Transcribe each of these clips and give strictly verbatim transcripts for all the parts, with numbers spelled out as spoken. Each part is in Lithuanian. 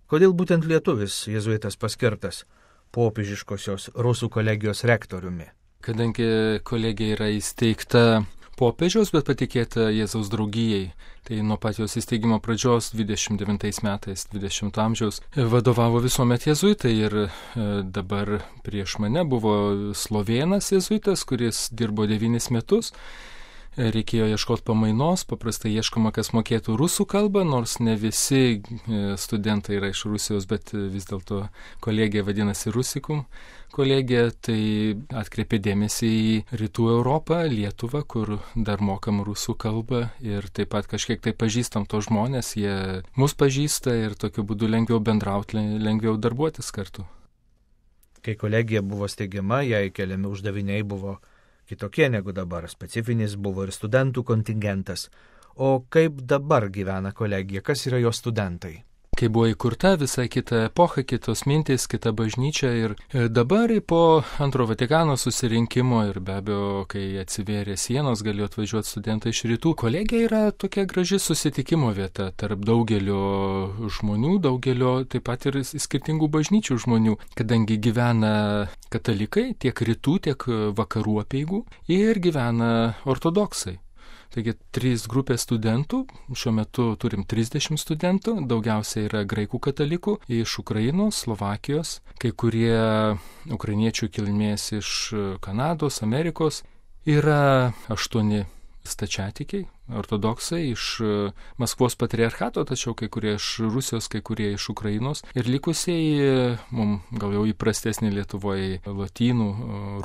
Kodėl būtent lietuvis jėzuitas paskirtas popiežiškosios rusų kolegijos rektoriumi? Kadangi kolegija yra įsteigta popiežiaus, bet patikėta Jėzaus draugijai, tai nuo pat jos įsteigimo pradžios dvidešimt devintais metais dvidešimto amžiaus vadovavo visuomet jėzuitai ir dabar prieš mane buvo slovėnas jėzuitas, kuris dirbo devynis metus. Reikėjo ieškoti pamainos, paprastai ieškoma, kas mokėtų rusų kalbą, nors ne visi studentai yra iš Rusijos, bet vis dėlto kolegija vadinasi Rusikum kolegija, tai atkreipė dėmesį į Rytų Europą, Lietuvą, kur dar mokam rusų kalbą ir taip pat kažkiek tai pažįstam to žmonės, jie mus pažįsta ir tokiu būdu lengviau bendrauti, lengviau darbuotis kartu. Kai kolegija buvo steigiama, jai keliami uždaviniai buvo kitokie negu dabar, specifinis buvo ir studentų kontingentas. O kaip dabar gyvena kolegija, kas yra jos studentai? Kai buvo įkurta visai kita epocha, kitos mintys, kita bažnyčia ir dabar po antro Vatikano susirinkimo ir be abejo, kai atsivėrė sienos, galėjo atvažiuoti studentai iš rytų. Kolegija yra tokia graži susitikimo vieta tarp daugelio žmonių, daugelio taip pat ir skirtingų bažnyčių žmonių, kadangi gyvena katalikai tiek rytų, tiek vakarų apeigų ir gyvena ortodoksai. Taigi trys grupės studentų, šiuo metu turim trisdešimt studentų, daugiausiai yra graikų katalikų iš Ukrainos, Slovakijos, kai kurie ukrainiečių kilmės iš Kanados, Amerikos, yra aštuoni stačiatikiai, ortodoksai iš Maskvos patriarchato, tačiau kai kurie iš Rusijos, kai kurie iš Ukrainos ir likusieji, mums gal jau įprastesnį Lietuvoje, lotynų,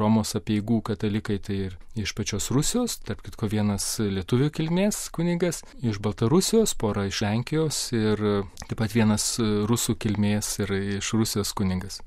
Romos apeigų katalikai, tai ir iš pačios Rusijos, tarp kitko vienas lietuvių kilmės kunigas, iš Baltarusijos, pora iš Lenkijos ir taip pat vienas rusų kilmės ir iš Rusijos kunigas.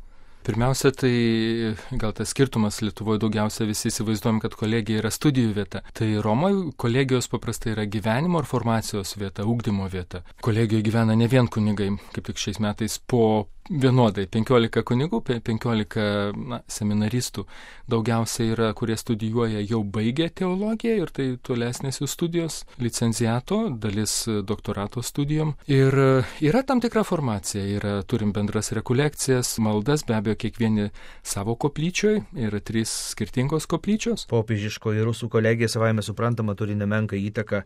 Pirmiausia, tai gal tas skirtumas Lietuvoje daugiausia visi įsivaizduojam, kad kolegija yra studijų vieta. Tai Romoje kolegijos paprastai yra gyvenimo ir formacijos vieta, ugdymo vieta. Kolegijoje gyvena ne vien kunigai, kaip tik šiais metais po vienodai, penkiolika kunigų, penkiolika na, seminaristų. Daugiausiai yra, kurie studijuoja, jau baigę teologiją ir tai tolesnės jų studijos, licenciato, dalis doktorato studijom. Ir yra tam tikra formacija, yra, turim bendras rekolekcijas, maldas, be abejo, kiekvieni savo koplyčioj, yra trys skirtingos koplyčios. Popiežiškoji rusų kolegija savaime suprantama turi nemenką įtaką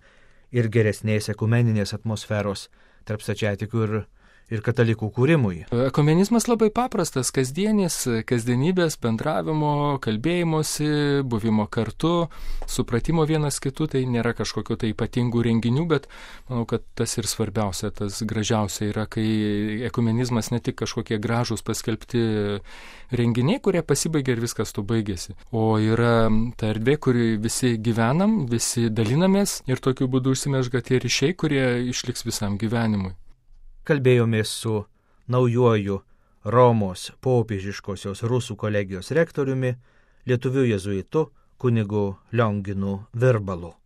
ir geresnės ekumeninės atmosferos tarp stačiatikių ir ir katalikų kūrimui. Ekumenizmas labai paprastas, kasdienis, kasdienybės, bendravimo, kalbėjimosi, buvimo kartu, supratimo vienas kitų, tai nėra kažkokio tai ypatingų renginių, bet manau, kad tas ir svarbiausia, tas gražiausia yra, kai ekumenizmas ne tik kažkokie gražūs paskelbti renginiai, kurie pasibaigia ir viskas to baigėsi, o yra ta erdvė, kur visi gyvenam, visi dalinamės ir tokiu būdu užsimezga tie ryšiai, kurie išliks visam gyvenimui. Kalbėjomės su naujuoju Romos popiežiškosios rusų kolegijos rektoriumi, lietuviu jėzuitu kunigu Lionginu Virbalu.